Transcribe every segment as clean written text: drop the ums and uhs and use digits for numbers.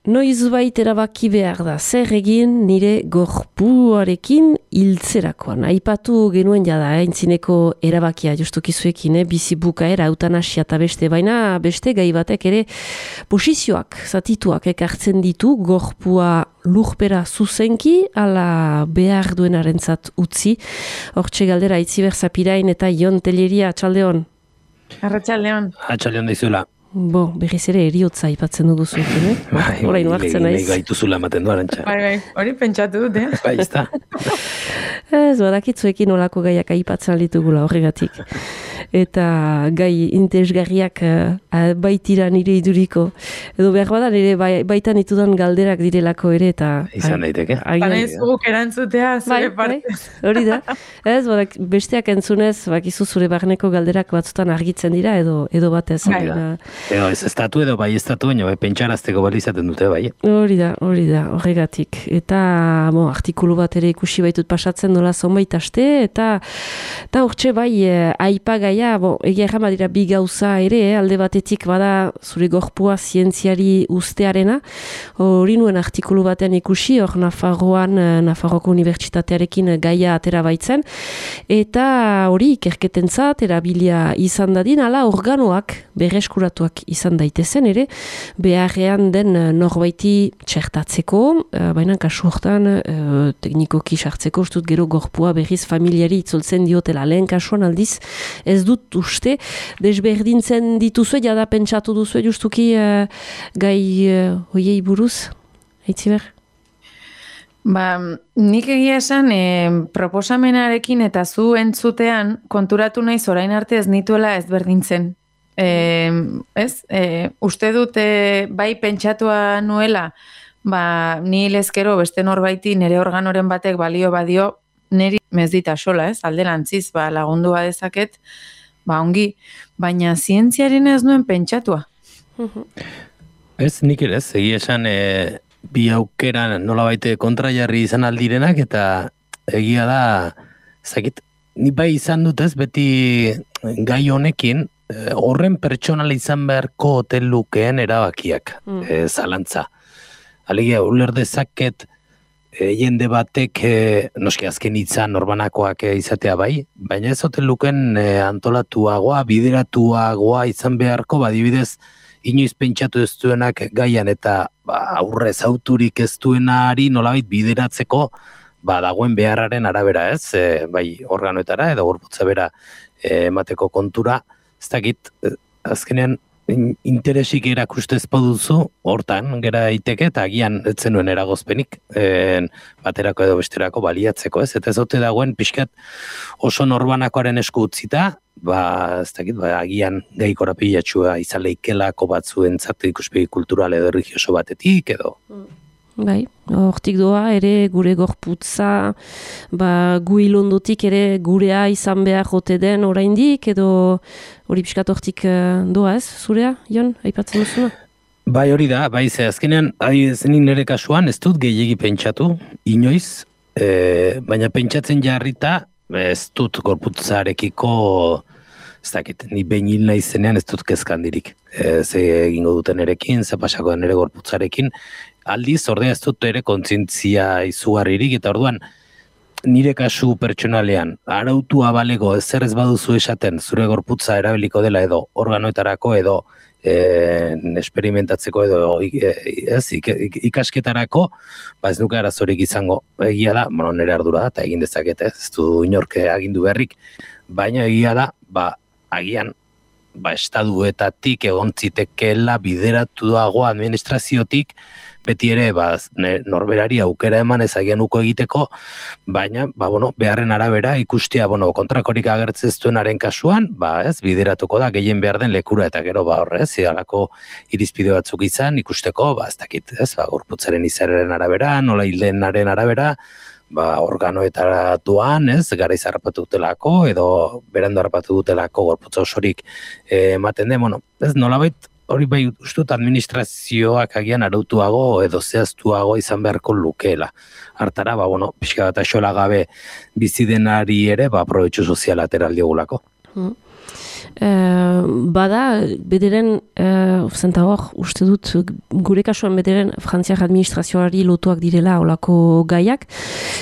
Noizbait erabaki behar da, zer egin nire gorpuarekin hiltzerakoan. Aipatu genuen jada, aintzineko erabakia justukizuekin, bizi bukaera, eutanasia eta beste, baina beste gai batek ere posizioak, zatituak ekartzen ditu, gorpua lurpera zuzenki, ala behar duenarentzat utzi. Hortxe galdera, Itziber Zapirain eta Jon Telleria, atxaldeon. Arratxaldeon. Atxaldeon daizula. Berriz ere eriotza aipatzen dugu zuekin, Horain hartzen naiz. Gaituzula ematen du, Arantxa. Bai, hori pentsatu dut, Bai, ez da. Ez, badakitzuekin olako gaiak aipatzen ditugula horregatik. Eta gai interesgarriak baitira nire iduriko. Edo behar bada nire baitan itudan galderak direlako ere, eta... Izan daiteke. Baina ez guk erantzutea, zure partez. Hori da. Ez, besteak entzunez, bakizu zure barneko galderak batzutan argitzen dira, edo batez. Edo ez estatu edo bai estatu baina pentsarazteko balizaten dute bai. Hori da, horregatik. Eta artikulu bat ere ikusi baitut pasatzen dola zonbait aste, eta hortxe bai aipagaia, egia errama dira bi gauza ere, alde batetik bada zure gorpua zientziari ustearena, hori nuen artikulu batean ikusi, hor Nafarroko Unibertsitatearekin gaia atera baitzen, eta hori ikerketentzat erabilia izan dadin, ala organoak berreskuratuak izan daitezen ere, beharrean den norbaiti txertatzeko, baina kasu hortan teknikoki sartzeko, ustut gero gorpua berriz familiari itzoltzen diotela, lehen kasuan aldiz, ez dut uste, desberdintzen dituzue, jada pentsatu duzue justuki gai hoiei buruz, Aitziber? Nik egia esan proposamenarekin eta zu entzutean konturatu naiz orain arte ez nituela ezberdintzen. Uste dut bai pentsatua nuela, ni lezkero beste norbaiti nire organoren batek balio badio, niri mezdita sola, alderantziz, lagundu badezaket, ongi, baina zientziaren ez nuen pentsatua. Ez, nik ere ez, egia esan bi aukera nola baite kontrajarri izan aldirenak, eta egia da, zakit, ni bai izan dut ez, beti gai honekin, horren pertsonala izan beharko hotel lukeen erabakiak, zalantza. Alegia, uler dezaket jende batek, noski azken hitzan norbanakoak izatea bai, baina ez hotel lukeen antolatuagoa, bideratuagoa izan beharko, badibidez, inoiz pentsatu ez duenak gaian eta aurrez auturik ez duenari nolabait bideratzeko, dagoen beharraren arabera ez, bai organoetara edo gorputza bera emateko kontura, ez dakit, azkenean interesik erakustez paduzu, hortan gera iteke, eta agian etzenuen eragozpenik, baterako edo besterako baliatzeko, ez? Eta ez ote dagoen pixkat oso norbanakoaren esku utzita, ez dakit, agian gai korapilatxua izan leikelako batzuentzat ikuspegi kultural edo erlijioso batetik, edo... Bai, hortik doa ere gure gorputza, gu ilondotik ere gurea izan behar jote den oraindik, edo hori pixkat hortik doa ez, zurea, Jon, aipatzen duzuna? Bai, hori da, bai, ze azkenean, zenik nire kasuan, ez dut gehiegi pentsatu, inoiz, baina pentsatzen jarrita, ez dut gorputzarekiko, ez dakit, ni behin hil nahi zenean ez dut kezkandirik. Ze egingo duten erekin, ze pasako den ere gorputzarekin, aldiz, ordea ez dut ere kontzientzia izugarririk, eta orduan, nire kasu pertsonalean, arautua balego ezer ez baduzu esaten, zure gorputza erabiliko dela edo organoetarako edo experimentatzeko edo ikasketarako, ez nuke arazorik izango. Egia da, nire ardura da, eta egin dezaket, ez du inorke agindu beharrik, baina egia da, agian, estaduetatik egon zitekeela bideratu dago administraziotik, beti ere, norberari aukera eman ezagian uko egiteko, baina, beharren arabera ikustea, kontrakorik agertzez duenaren kasuan, bideratuko da, gehien behar den lekura, eta gero, horrez, zidalako irizpide batzuk izan, ikusteko, ez dakit, gorputzaren izaren arabera, nola hildenaren arabera, organoetaratuan, garaiz harrapatu dutelako, edo berandu harrapatu dutelako gorputza osorik ematen den, ez nolabait, hori bai ustut administrazioak agian arautuago edo zehaztuago izan beharko lukeela. Hartara, pixka bat axola gabe bizi denari ere, aprobetxu soziala atera aldiogulako. bada, bederen, zenta hor, uste dut, gure kasuan bederen, frantziak administrazioari lotuak direla olako gaiak.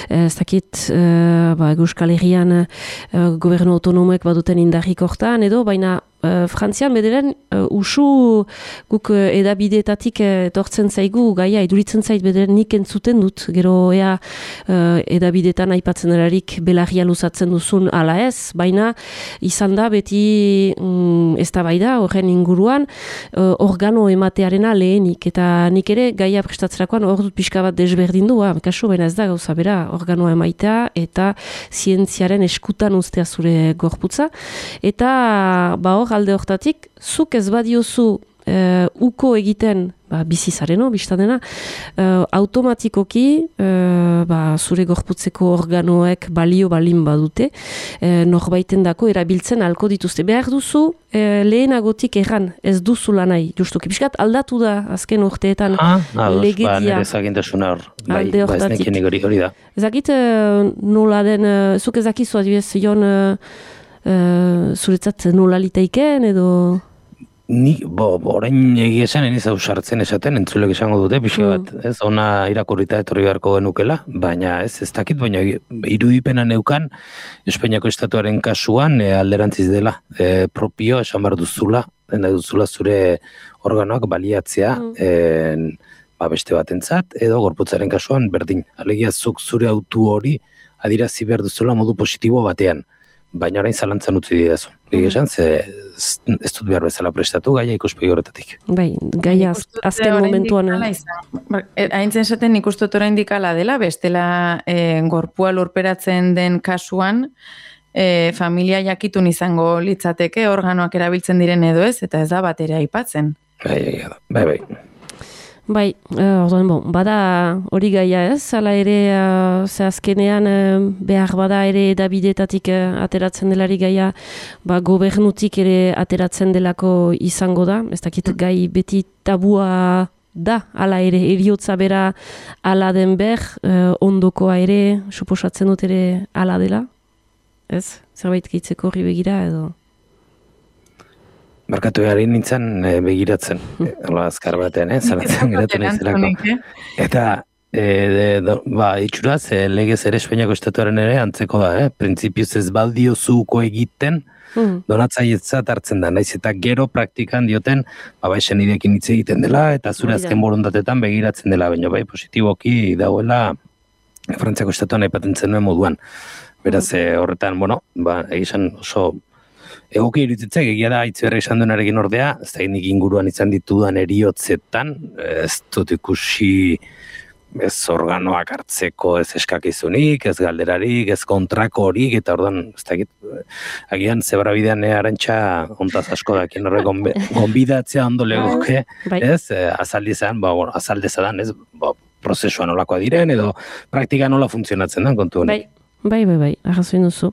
Ez dakit, Euskal Herrian gobernu autonomoek baduten indarrik hortan edo, baina Frantzian bederen usu guk edabideetatik etortzen zaigu gaia, iduritzen zait bederen nik entzuten dut, gero ea edabideetan aipatzen erarik belarria luzatzen duzun ala ez, baina izan da beti eztabaida horren inguruan organo ematearena lehenik, eta nik ere gaia prestatzerakoan hor dut pixka bat desberdindu, kasu baina ez da gauza bera organoa emaitea eta zientziaren eskutan ustea zure gorputza, eta hor alde hortatik, zuk ez badiozu uko egiten bizizareno, biztadena, automatikoki zure gorputzeko organoek balio balin badute, norbaiten dako erabiltzen alko dituzte. Behar duzu, lehenagotik erran, ez duzula nahi, justuki. Piskat aldatu da, azken urteetan legedia. Nire zagintasuna hor, alde hortatik. Hori da. Ezakit nola den, zuk ezakizu adibidez, Jon, zuretzat nola litaiken edo... Ni, orain egia esan, eniz hau sartzen esaten, entzulek esango dute, pixka bat, ez, ona irakurrita etorri beharko genukela, baina ez dakit, baina irudipena neukan, Espainiako estatuaren kasuan alderantziz dela, propio esan behar duzula, zure organoak baliatzea, beste batentzat, edo gorputzaren kasuan berdin. Alegia zuk zure autu hori adirazi behar duzula modu positibo batean. Baina orain zalantzan utzi didazu. Esan, ez dut behar bezala prestatu gaia ikuspegi horretatik. Bai, gaia azken momentuan. Haintzen esaten nik uste dut oraindik hala dela, bestela gorpua lurperatzen den kasuan, familia jakitun izango litzateke organoak erabiltzen diren edo ez, eta ez da bat ere aipatzen. Bai. Bai, orduan, bada hori gaia ez, hala ere ze azkenean behar bada ere edabideetatik ateratzen delari gaia, gobernutik ere ateratzen delako izango da, ez dakit gai beti tabua da, hala ere, eriotza bera ala den ondokoa ere, suposatzen dut ere ala dela, ez? Zerbait gehitzeko horri begira edo... Markatu gari nintzen begiratzen, azkar batean, zaratzen geratu nintzelako. Eta, itxuraz, legez ere Espainiako estatuaren ere antzeko da, printzipioz ez baldio zuko egiten, donatzailetzat hartzen da, naiz eta gero praktikan dioten, esen idekin hitz egiten dela, eta zure azken borondatetan begiratzen dela, baina positiboki dauela Frantziako estatuan aipatzen zenuen moduan. Beraz, horretan, egizan oso... Egoki iruditzek, egia da, Aitziberri esan duenarekin ordea, ez da nik inguruan izan ditudan eriotzetan, ez dut ikusi ez organoak hartzeko ez eskakizunik, ez galderarik, ez kontrako horik, eta ordan, ez da agian zebra bidean arantxa ontaz asko dakien horre gonbidatzea ondo legoke, ez, azaldizan, azaldezadan, ez, prozesua nolakoa diren, edo praktika nola funtzionatzen den kontu honek. Bai, arrazoin duzu.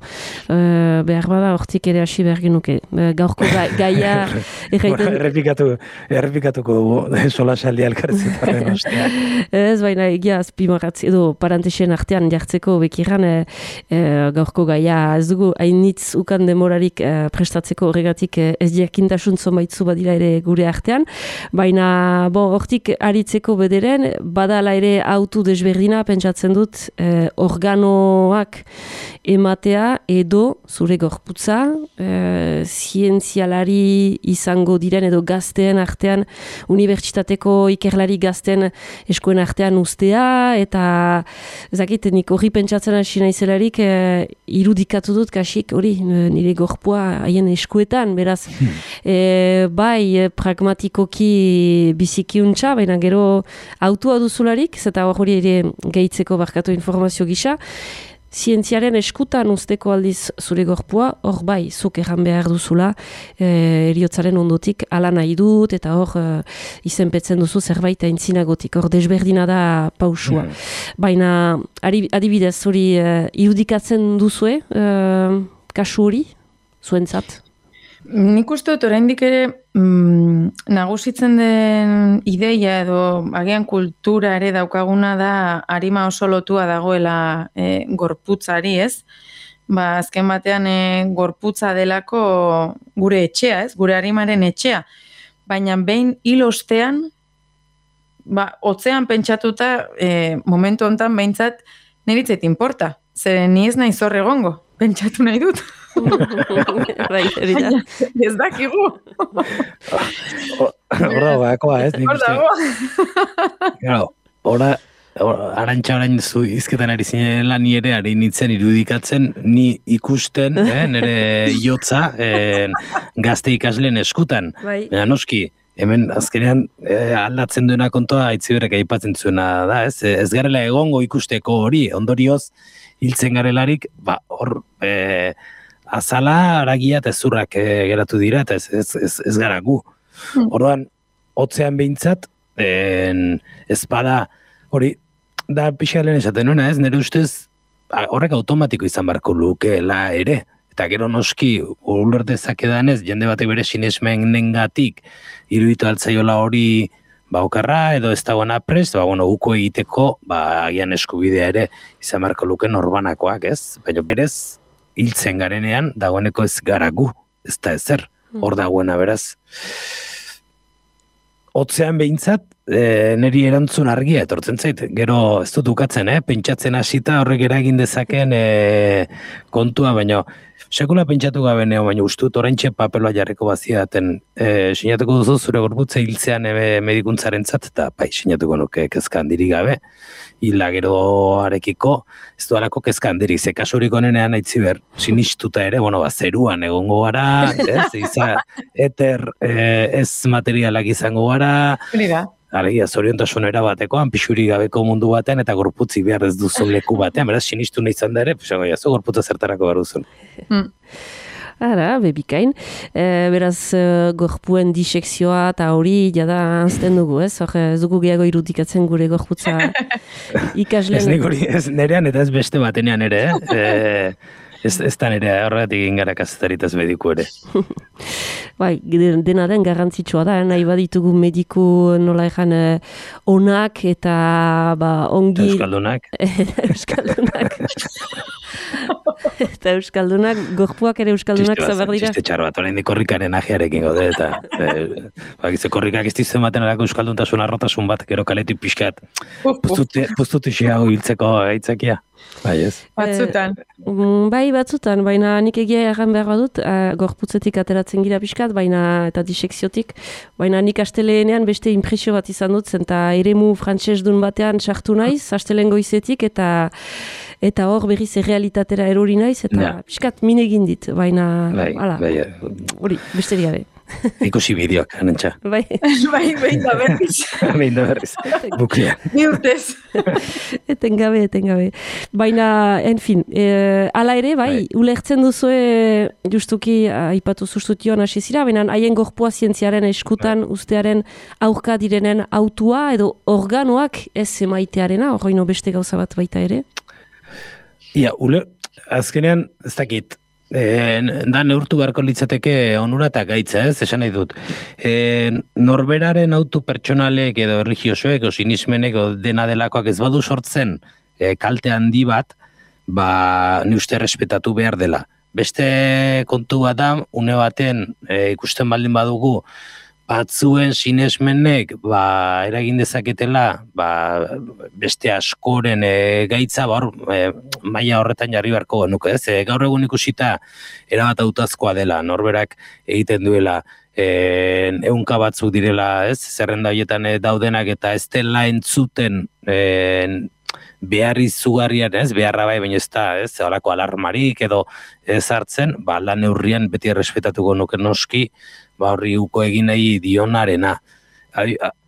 Behar bada hortik ere hasi behar genuke. Gaurko gaia... Errepikatuko dugu, sola saldi alkarretzetaren ostea. Ez, baina egia azpimarratz, edo parantexen artean jartzeko bekiran gaurko gaia ez dugu hainitz ukan demorarik prestatzeko horregatik ez jakintasun zonbaitzu badira ere gure artean. Baina, hortik aritzeko bederen, badala ere autu desberdina pentsatzen dut organoak ematea edo zure gorputza zientzialari izango diren edo gazteen artean, unibertsitateko ikerlari gazteen eskoen artean ustea, eta ezakit, nik hori pentsatzen hasi naizelarik irudikatu dut kasik hori nire gorpua haien eskuetan, beraz bai pragmatikoki bizikiuntza, baina gero autua duzularik, eta hori ere gehitzeko barkatu informazio gisa, zientziaren eskutan usteko aldiz zure gorpua, hor bai, zuk erran behar duzula, eriotzaren ondotik ala nahi dut, eta hor izenpetzen duzu zerbait aintzinagotik, hor desberdina da pausua. Baina, adibidez, hori irudikatzen duzue, kasu hori, zuentzat? Nik uste dut oraindik ere nagusitzen den ideia edo agian kultura ere daukaguna da arima oso lotua dagoela gorputzari, ez? azken batean gorputza delako gure etxea, ez? Gure arimaren etxea. Baina behin hil ostean, hotzean pentsatuta, momentu hontan behintzat niritzet importa. Zer ni ez nahi zor egongo, pentsatu nahi dut. Baina, ez dakigu. Hor dagoakoa, ez? Hor dago. Arantxa orain zu izketan ari zinela ni ere ari nintzen irudikatzen, ni ikusten, nire jotza gazte ikasleen eskutan. Baina noski, hemen azkenean aldatzen duena kontoa Aitziberrek aipatzen zuena da, ez? Ez garela egongo ikusteko hori, ondorioz hiltzen garelarik, hor azala, aragia eta ezurrak geratu dira, eta ez gara gu. Orduan, hotzean behintzat, ezpada hori, da pixka lehen esaten nuena, ez? Nire ustez, horrek automatiko izan barko lukeela ere. Eta gero noski, ulertezak edanez, jende batek bere sinesmenengatik iruditu altzaiola hori okarra, edo ez dagoena prest, uko egiteko, agian eskubidea ere izan barko luke norbanakoak, ez? Baina berez, hiltzen garenean, dagoeneko ez gara gu, ez da ezer, hor dagoena beraz. Hotzean behintzat, niri erantzun argia etortzen zait, gero ez dut ukatzen, pentsatzen hasita horrek eragin dezaken kontua, baina sekula pentsatu gabe neo, baina ustut oraintxe papeloa jarriko baziaten sinatuko duzu zure gorputza hiltzean medikuntzarentzat, eta sinatuko nuke kezka handirik gabe, hila gero arekiko, ez dualako kezka handirik, ze kasurik onenean Aitziber, sinistuta ere, zeruan egongo gara, eter ez materialak izango gara, alegia, zoriontasun erabatekoan, pixuri gabeko mundu batean, eta gorputzi behar ez duzun leku batean, beraz, sinistu nahi izan da ere, gorputza zertarako behar duzun. Ara, bebikain. Beraz, gorpuen disekzioa eta hori jada azten dugu, ez? Ez dugu gehiago irudikatzen gure gorputza ikasleen. Ez nerean eta ez beste batenean ere, ez da nire horregatik ingara kazetaritaz mediku ere. Bai, dena den garrantzitsua da, nahi baditugu mediku nola ejan onak eta ongi... Euskaldunak. Eta euskaldunak, gorpuak ere euskaldunak zaber dira. Txiste txar bat, orain korrikaren ajearekin gaude, eta korrikak ez dizen baten alako euskalduntasun arrotasun bat, gero kaletik pixkat, puztutu xeago hiltzeko aitzakia. Bai, ez? Batzutan. Bai, batzutan, baina nik egia erran behar badut, gorputzetik ateratzen gira pixkat, baina eta disekziotik, baina nik asteleenean beste impresio bat izan dut, eta eremu frantsesdun batean sartu naiz, asteleen goizetik, eta hor berriz errealitatera erori naiz, eta pixkat min egin dit, baina, hori, beste gabe. Ikusi bideoak, anantxa. Bai, behin da berriz. Behin da berriz, buklean. Ni urtez. Eten gabe. Baina, enfin, ala ere, ulertzen duzue, justuki, aipatu zuztutioan hasi zira, baina haien gorpua zientziaren eskutan ustearen aurka direnen autua, edo organoak ez emaitearena, horreino beste gauza bat baita ere? Ia, azkenean, ez dakit, da neurtu beharko litzateke onura eta gaitza, esan nahi dut. Norberaren autu pertsonalek edo erligiosoek o sinismenek o dena delakoak ez badu sortzen kalte handi bat, ni uste respetatu behar dela. Beste kontu bat da, une baten ikusten baldin badugu, batzuen sinesmenek eragin dezaketela beste askoren gaitza maila horretan jarri beharko genuke, ez? Gaur egun ikusita erabat hautazkoa dela, norberak egiten duela ehunka batzuk direla, ez? Zerrenda horietan daudenak eta ez dela entzuten behar izugarrian, ez? Beharra bai, baina ez da, ez? Horako alarmarik edo ez hartzen, lan neurrian beti errespetatuko nuke noski, horri uko egin nahi dionarena.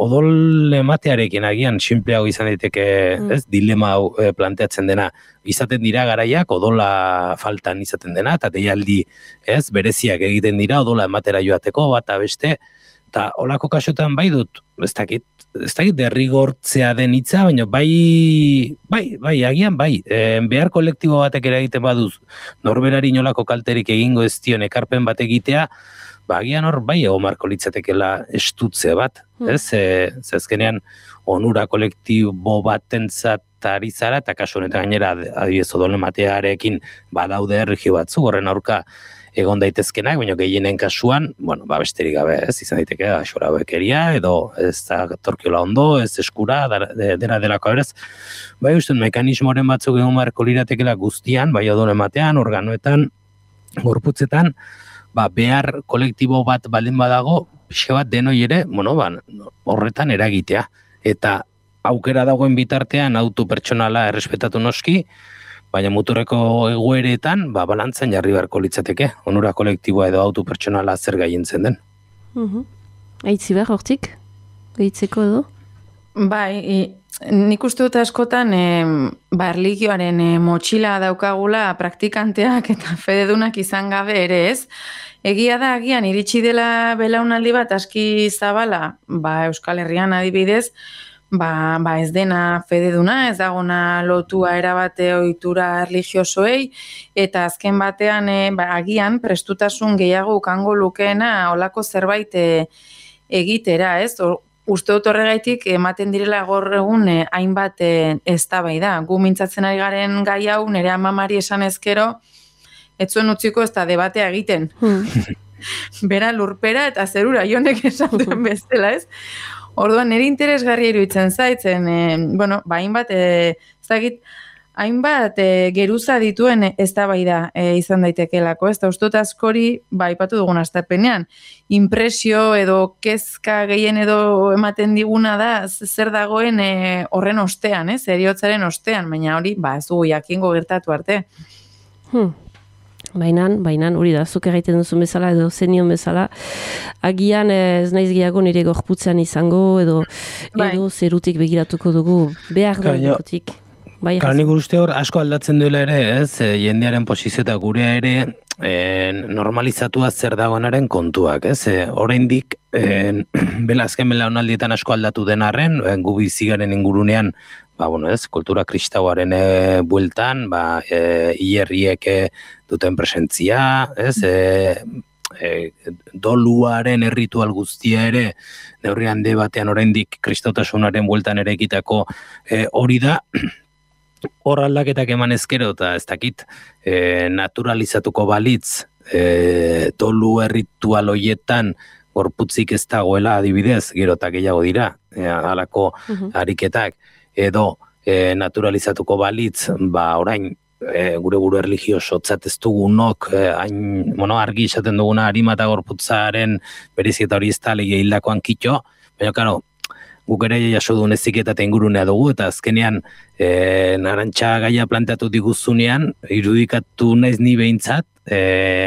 Odol ematearekin agian sinpleago izan daiteke, ez, dilema hau planteatzen dena. Izaten dira garaiak odola faltan izaten dena, eta deialdi, ez, bereziak egiten dira odola ematera joateko, bat beste, eta olako kasotan bai dut, ez dakit derrigortzea den hitza, baina bai, agian bai, behar kolektibo batek ere egiten baduz, norberari nolako kalterik egingo ez dion ekarpen bat egitea, agian hor bai egon marko litzatekela estutze bat, ez? Zezkenean onura kolektibo batentzat ari zara, eta kasu honetan gainera adibidez odol ematearekin badaude erregio batzu, horren aurka egon daitezkenak, baina gehienen kasuan, besterik gabe, ez, izan daiteke, axora bekeria, edo ez da torkiola ondo, ez eskura, dena delako berez. Bai, uste, mekanismoren batzuk egon marko liratekela guztian, bai odol ematean, organoetan, gorputzetan, behar kolektibo bat baldin badago, pixka bat denoi ere, horretan eragitea. Eta aukera dagoen bitartean auto pertsonala errespetatu noski, baina muturreko egoeretan, balantzan jarri beharko litzateke, onura kolektiboa edo auto pertsonala zer gaientzen den. Aitzi behar, hortik? Gaitzeko edo? Bai, nik uste dut askotan erligioaren motxila daukagula praktikanteak eta fededunak izan gabe ere ez. Egia da, agian iritsi dela belaunaldi bat aski zabala, Euskal Herrian adibidez, ez dena fededuna, ez dagona lotua erabate ohitura erligiosoei, eta azken batean agian prestutasun gehiago ukango lukeena olako zerbait egitera, ez? Uste dut horregaitik ematen direla gaur egun hainbat eztabaida. Gu mintzatzen ari garen gai hau nire amamari esan ezkero, ez zuen utziko ez da debatea egiten. Bera lurpera eta zerura jonek esan duen bestela, ez? Orduan, nire interesgarri iruditzen zaitzen, hainbat geruza dituen eztabaida izan daitekelako, ez da ustot askori, aipatu dugun astapenean, impresio edo kezka gehien edo ematen diguna da zer dagoen horren ostean, heriotzaren ostean, baina hori, ez dugu jakingo gertatu arte. Bainan, hori da, zuk egiten duzun bezala edo zenion bezala, agian ez naiz gehiago nire gorputzean izango edo zerutik begiratuko dugu, behar dugutik. Nik uste hor asko aldatzen duela ere, ez, jendearen posizio eta gurea ere normalizatua zer dagoenaren kontuak, ez, oraindik azken belaunaldietan asko aldatu den arren, gu bizigaren ingurunean, kultura kristauaren bueltan, hierriek duten presentzia, ez, doluaren erritual guztia ere, neurri handi batean oraindik kristautasunaren bueltan ere egitako hori da, hor aldaketak eman ezkero, eta ez dakit naturalizatuko balitz dolu erritual hoietan gorputzik ez dagoela adibidez, gero eta gehiago dira, halako ariketak, edo naturalizatuko balitz, orain gure erligiosotzat ez dugunok, argi izaten duguna harima eta gorputzaren berezieta hori ez da lege hildakoan kitxo, baina karo, guk ere jaso duen eziketa eta ingurunea dugu, eta azkenean narantxa gaia planteatu diguzunean, irudikatu naiz ni behintzat,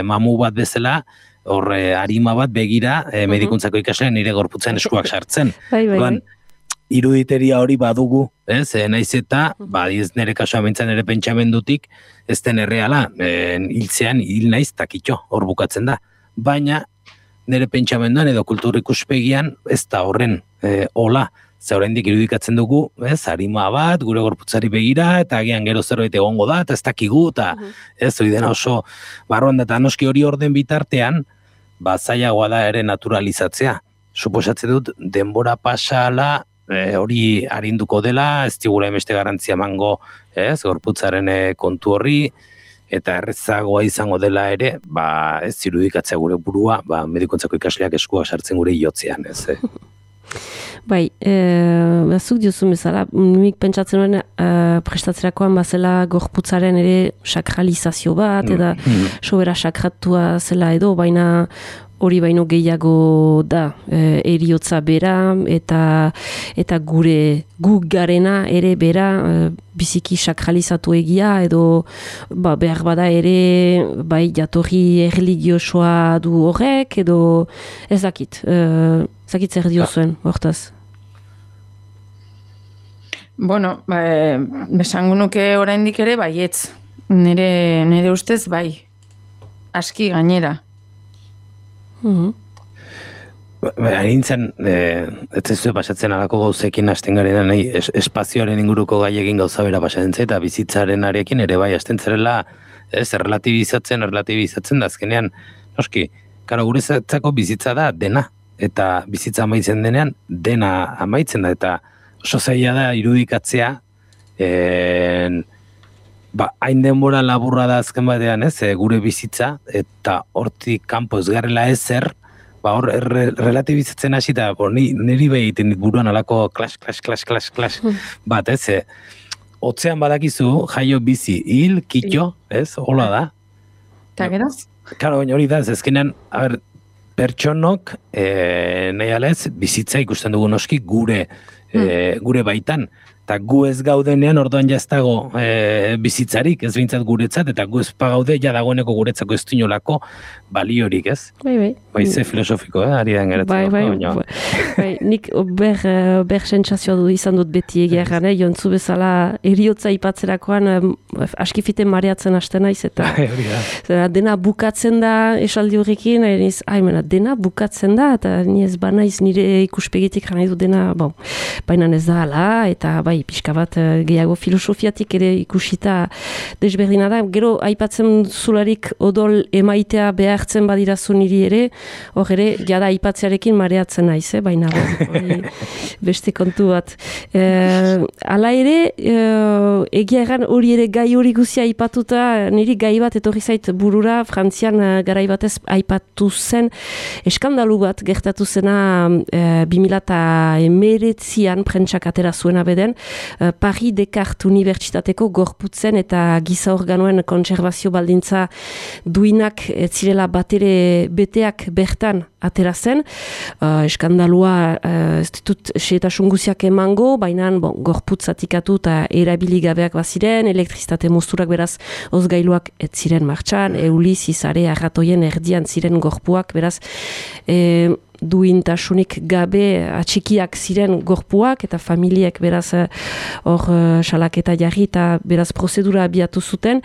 mamu bat bezala, hor harima bat begira, medikuntzako ikasleen nire gorputzen eskuak sartzen. Iruditeria hori badugu, naiz eta, ez nire kasua bintzen nire pentsamendutik, ez den erreala, hiltzean hil naiz takitxo, hor bukatzen da. Baina, nire pentsamenduan edo kultur ikuspegian, ez da horren hola, ze oraindik irudikatzen dugu, harima bat, gure gorputzari begira, eta agian gero zerbait egongo da, eta ez dakigu, eta ez hori dena oso barruan da, eta noski hori orden bitartean, zailagoa da ere naturalizatzea. Suposatzen dut, denbora pasala, hori arinduko dela, ez digula emeste garantzia emango, gorputzaren kontu horri, eta errezagoa izango dela ere, ez irudikatzea gure burua, medikuntzako ikasleak eskuak sartzen gure iotzean, ez. Bai, zuk diozun bezala, nik pentsatzen nuen prestatzerakoan bazela gorputzaren ere sakralizazio bat, eta sobera sakratua zela edo, baina hori baino gehiago da, eriotza bera, eta guk garena ere bera biziki sakralizatu egia, edo behar bada ere jatorri erligiosoa du horrek, edo ez dakit zer diozuen, hortaz. Besango nuke oraindik ere baietz, nire ustez bai, aski gainera. Nintzen, ez zuen pasatzen alako gauzekin hasten garen nahi, espazioaren inguruko gaiekin gauza bera pasatzen eta bizitzaren arekin ere bai hasten zerela, relatibizatzen da azkenean, noski, karo, guretzako bizitza da dena, eta bizitza amaitzen denean, dena amaitzen da, eta oso zaila da irudikatzea, hain denbora laburra da azken batean, gure bizitza, eta hortik kanpo ez garela ezer, hor relatibizatzen hasi da, niri behi egiten dit buruan alako clash bat, Otzean badakizu, jaio bizi, hil, kitxo, hola da. Eta gero? Karo, hori da, ezkenean, pertsonok, nahi alez, bizitza ikusten dugu noski gure baitan. Eta gu ez gaudenean orduan jaztago bizitzarik, ez bintzat guretzat, eta gu ez pagaude, ja dagoeneko guretzako ez dinolako baliorik, ez? Bai, ze filosofiko, ari den geratzen. Bai, nik ber sentsazioa du izan dut beti egeran, jontzu bezala eriotza ipatzerakoan askifiten mareatzen hasten naiz, eta dena bukatzen da esaldi horrekin, dena bukatzen da, eta ni ez banaiz nire ikuspegitik jana du dena, baina ez da ala, eta bai, pixka bat gehiago filosofiatik ere ikusita desberdina da. Gero, aipatzen zularik odol emaitea behartzen badirazu niri ere, hor ere, jada aipatzearekin mareatzen naiz, baina beste kontu bat. Hala ere, egia egan hori ere gai hori guzia aipatuta, niri gai bat etorri zait burura, Frantzian garai batez aipatu zen, eskandalu bat gertatu zena 2019an prentsak atera zuena beden, Paris Descartes Unibertsitateko gorputzen eta giza organoen kontserbazio baldintza duinak zirela batere beteak bertan atera zen. Eskandalua ez ditut xehetasun guziak emango, baina gorputz zatikatu eta erabiligabeak baziren, elektrizitate mozturak beraz ozgailuak ez ziren martxan, euli, zizare, arratoien erdian ziren gorpuak, beraz duintasunik gabe atxikiak ziren gorpuak eta familiek beraz hor salaketa jarri eta beraz prozedura abiatu zuten.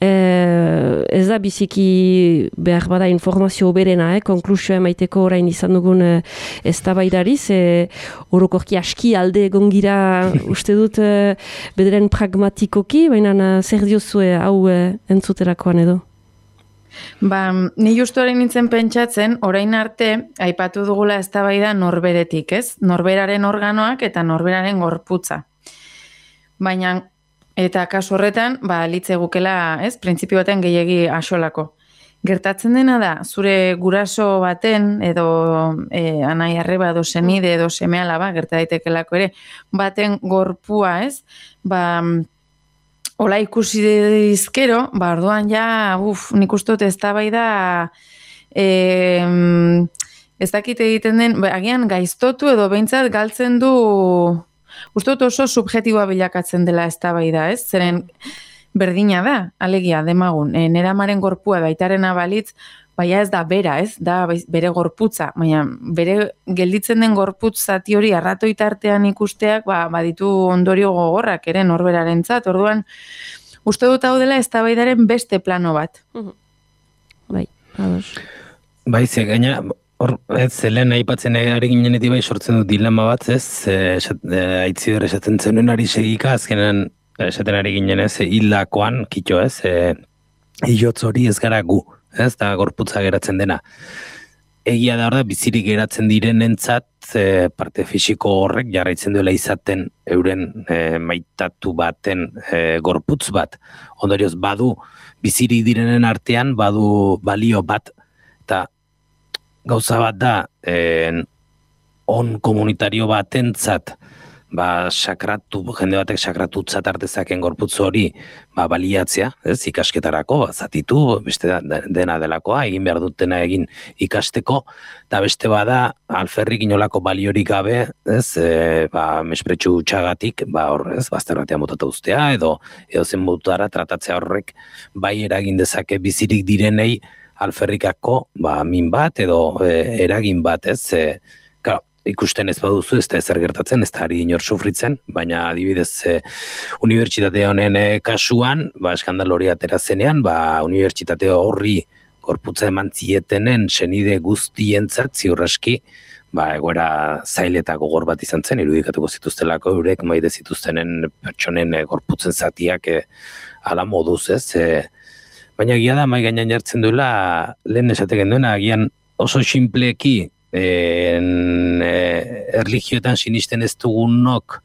Ez da biziki behar bada informazio berena, konklusioa emaiteko orain izan dugun eztabaidariz, orokorki aski alde egon gira uste dut bederen pragmatikoki, baina zer diozue hau entzuterakoan edo? Ni justu orain nintzen pentsatzen, orain arte, aipatu dugula eztabaida norberetik, ez? Norberaren organoak eta norberaren gorputza. Baina, eta kasu horretan, litze gukela, ez? Printzipio baten gehiegi axolako. Gertatzen dena da, zure guraso baten, edo anai arreba, edo senide, edo semealaba, gerta daitekelako ere, baten gorpua, ez? Ola ikusi dizkero, orduan ja, nik uste dut eztabaida ez dakit egiten den, agian gaiztotu edo behintzat galtzen du, uste dut oso subjetiboa bilakatzen dela eztabaida, ez? Zeren berdina da, alegia, demagun, nera amaren gorpua baitarena balitz, baina ez da bera, ez? Da bere gorputza, baina bere gelditzen den gorputz zati hori arratoitartean ikusteak, baditu ondorio gogorrak ere norberarentzat. Orduan, uste dut hau dela eztabaidaren beste plano bat. Bai, ados. Bai, ze gaina, zelen aipatzen ari ginenetik bai sortzen dut dilema bat, ez? Aitziber esaten zenuen ari segika, azkenean esaten ari ginen ez, hildakoan, kitxo ez, hilotz hori ez gara gu. Ez da gorputza geratzen dena. Egia da hor da, bizirik geratzen direnentzat parte fisiko horrek jarraitzen duela izaten euren maitatu baten gorputz bat. Ondorioz, badu bizirik direnen artean, badu balio bat, eta gauza bat da, on komunitario batentzat, jende batek sakratutzat artezaken gorputzu hori baliatzea, ez, ikasketarako, zatitu, beste dena delakoa, egin behar dutena egin ikasteko, eta beste bada, alferrik inolako baliorik gabe, ez, mespretxu txagatik, ez, bazter batean botata ustea, edo zen botara tratatzea horrek, bai eragin dezake bizirik direnei, alferrikako, min bat, edo eragin bat, ez, ikusten ez baduzu, ez da ezer gertatzen, ez da ari inor sufritzen, baina adibidez unibertsitate honen kasuan, eskandal hori atera zenean, unibertsitate horri gorputza eman zietenen senide guztientzat ziurraski, egoera zail eta gogor bat izan zen, irudikatuko zituztelako eurek maide zituztenen pertsonen gorputzen zatiak ala moduz, ez? baina egia da mai gainean jartzen duela lehen esateken duena, agian oso sinpleki erlijioetan sinisten ez dugunok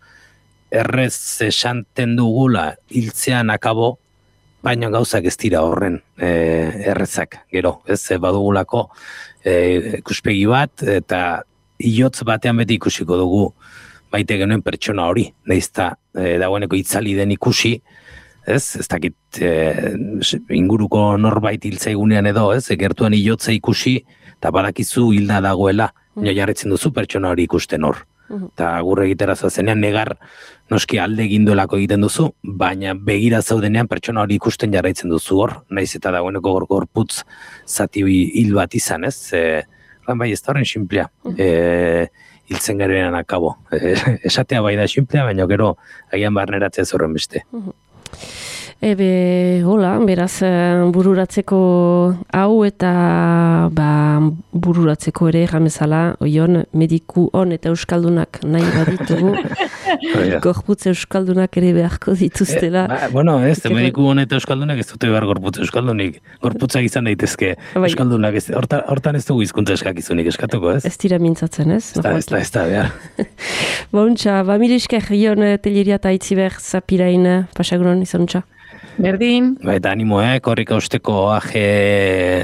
errez esanten dugula hiltzean akabo, baina gauzak ez dira horren errezak, gero, ez badugulako ikuspegi bat, eta hilotz batean beti ikusiko dugu maite genuen pertsona hori, nahizta dagoeneko itzali den ikusi, ez dakit inguruko norbait hiltzaigunean edo, ez, gertuan hilotza ikusi, eta badakizu hilda dagoela, baina jarretzen duzu pertsona hori ikusten hor. Eta gurre egitera zoazenean negar noski alde egin duelako egiten duzu, baina begira zaudenean pertsona hori ikusten jarraitzen duzu hor, naiz eta dagoeneko gorputz zati hil bat izan, ez? Bai, ez da horren simplea, hiltzen garenan akabo. Esatea bai da simplea, baina gero agian barneratzea zorren beste. Hola, beraz, bururatzeko hau eta bururatzeko ere jamezala, oion, mediku on eta euskaldunak nahi baditugu, gorputz euskaldunak ere beharko dituztela. Bueno, ez, mediku on eta euskaldunak ez dute behar gorputz euskaldunik. Gorputzak izan daitezke euskaldunak, hortan ez dugu hizkuntza eskakizunik eskatuko, ez? Ez dira mintzatzen, ez? Ez da, behar. Bontxa, mil esker, Ion Telleria eta Itziber Zapirain pasaguron izanuntza. Berdin. Eta animo, korrika usteko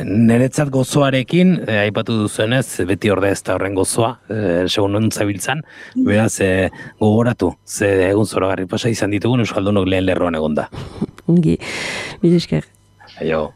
niretzat gozoarekin, aipatu duzuenez, beti orde ez da horren gozoa, segun non zabiltzan, beraz, gogoratu, ze egun zoragarri pasa izan ditugun, euskaldunok lehen lerroan egonda. Ungi, mil esker. Aio.